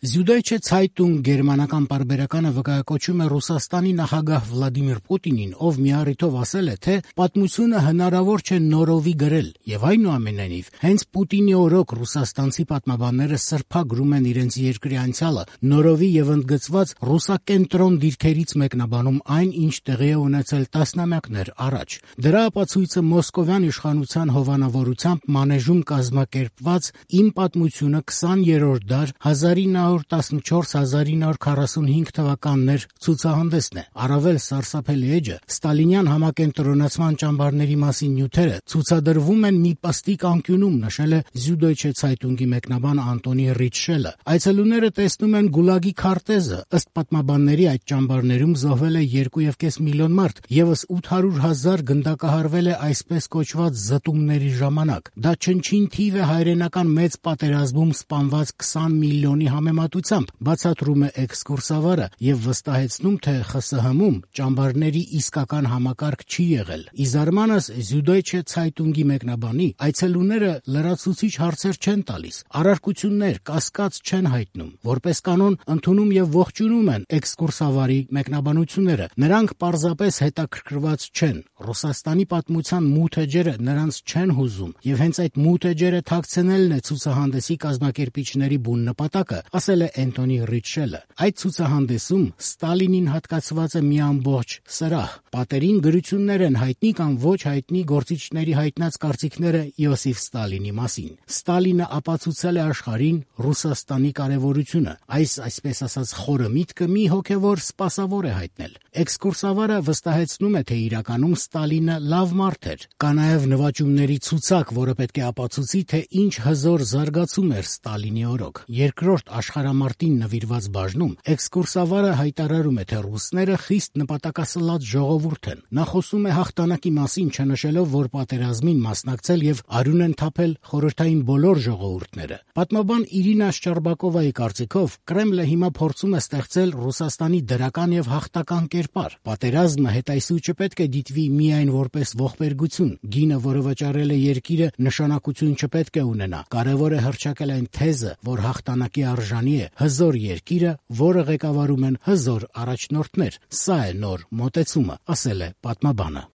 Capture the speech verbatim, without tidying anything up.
Süddeutsche Zeitung գերմանական պարբերականը վկայակոչում է Ռուսաստանի նախագահ Վլադիմիր Պուտինին, ով մի առիթով ասել է, թե պատմությունը հնարավոր չէ նորովի գրել, եւ այնուամենայնիվ, հենց Պուտինի օրոք ռուսաստանցի պատմաբանները սրբագրում են իրենց երկրի անցյալը, նորովի եւ ընդգծված ռուսակենտրոն դիրքերից մեկնաբանում այն, ինչ տեղի է ունեցել տասնամյակներ առաջ։ Դրա ապացույցը մոսկովյան իշխանության հովանավորությամբ մանեժում կազմակերպված «Իմ պատմությունը քսաներորդ դար հազար ինը հարյուր տասնչորս - հազար ինը հարյուր քառասունհինգ թվականներ» ցուցահանդեսն է։ Առավել սարսափելի էջը ստալինյան համակենտրոնացման ճամբարների մասին նյութերը ցուցադրվում են մի պստիկ անկյունում, նշել է Süddeutsche Zeitung-ի մեկնաբան Անտոնի Ռիչշելը։ Այցելուները տեսնում են գուլագի քարտեզը։ Ըստ պատմաբանների, այդ ճամբարներում զոհվել է երկու եւ կես միլիոն մարդ, եւս ութ հարյուր հազար գնդակահարվել է այսպես կոչված զտումների ժամանակ։ Դա չնչին թիվ է հայրենական մեծ պատերազմում սպանված քսան միլիոնի համեմատությամբ, բացատրում է էքսկուրսավարը եւ վստահեցնում, թե Խ С Հ-ում ճամբարների իսկական համակարգ չի եղել։ Ի զարմանս Süddeutsche Zeitung-ի մեկնաբանի, այցելուները լրացուցիչ հարցեր չեն տալիս, առարկություններ, կասկած չեն հայտնում, որպես կանոն ընդունում եւ ողջունում են էքսկուրսավարի մեկնաբանությունները։ Նրանք պարզապես հետաքրքրված չեն։ Ռուսաստանի պատմության մութ էջերը նրանց չեն հուզում, եւ հենց այդ մութ էջերը թաքցնելն է ցուցահանդեսի կազմակերպիչների բուն նպատակը, ասել է Անտոնի Ռիչշելը։ Այդ ցուցահանդեսում Ստալինին հատկացված է մի ամբողջ սրահ։ Պատերին գրություններ են հայտնի կամ ոչ հայտնի գործիչների հայտնած կարծիքները Յոսիֆ Ստալինի մասին։ Ստալինը ապացուցել է աշխարհին Ռուսաստանի կարևորությունը։ Այս, այսպես ասած, խորը միտքը մի հոգևոր սպասավոր է հայտնել։ Էքսկուրսավարը վստահեցնում է, թե իրականում Ստալինը լավ մարդ էր։ Կա նաև նվաճումների ցուցակ, որը պետք է ապացուցի, թե ինչ հզոր զարգացում էր Ստալինի օրոք։ Երկրորդ աշխարհամարտին նվիրված բաժնում էքսկուրսավարը հայտարարում է, թե ռուսները խիստ նպատակասլաց ժողովուրդ են։ Նա խոսում է հաղթանակի մասին, չնշելով, որ պատերազմին մասնակցել եւ արյուն են թափել խորհրդային բոլոր ժողովուրդները։ Պատմաբան Իրինա Շչարբակովայի կարծիքով Կրեմլը հիմա փորձում է ստեղծել Ռուսաստանի դրական եւ հաղթական կերպար։ Պատերազմը հետայսու չպետք է դիտվի միայն որպես ողբերգություն։ Գինը, որը վճարել է երկիրը, նշանակություն չպետք է ունենա։ Կարևոր է հռչակել այն թեզը, որ հաղթանակի արժանի է հզոր երկիրը, որը ղեկավարում են հզոր առաջնորդներ։ Սա է նոր մոտեցումը, ասել է պատմաբանը։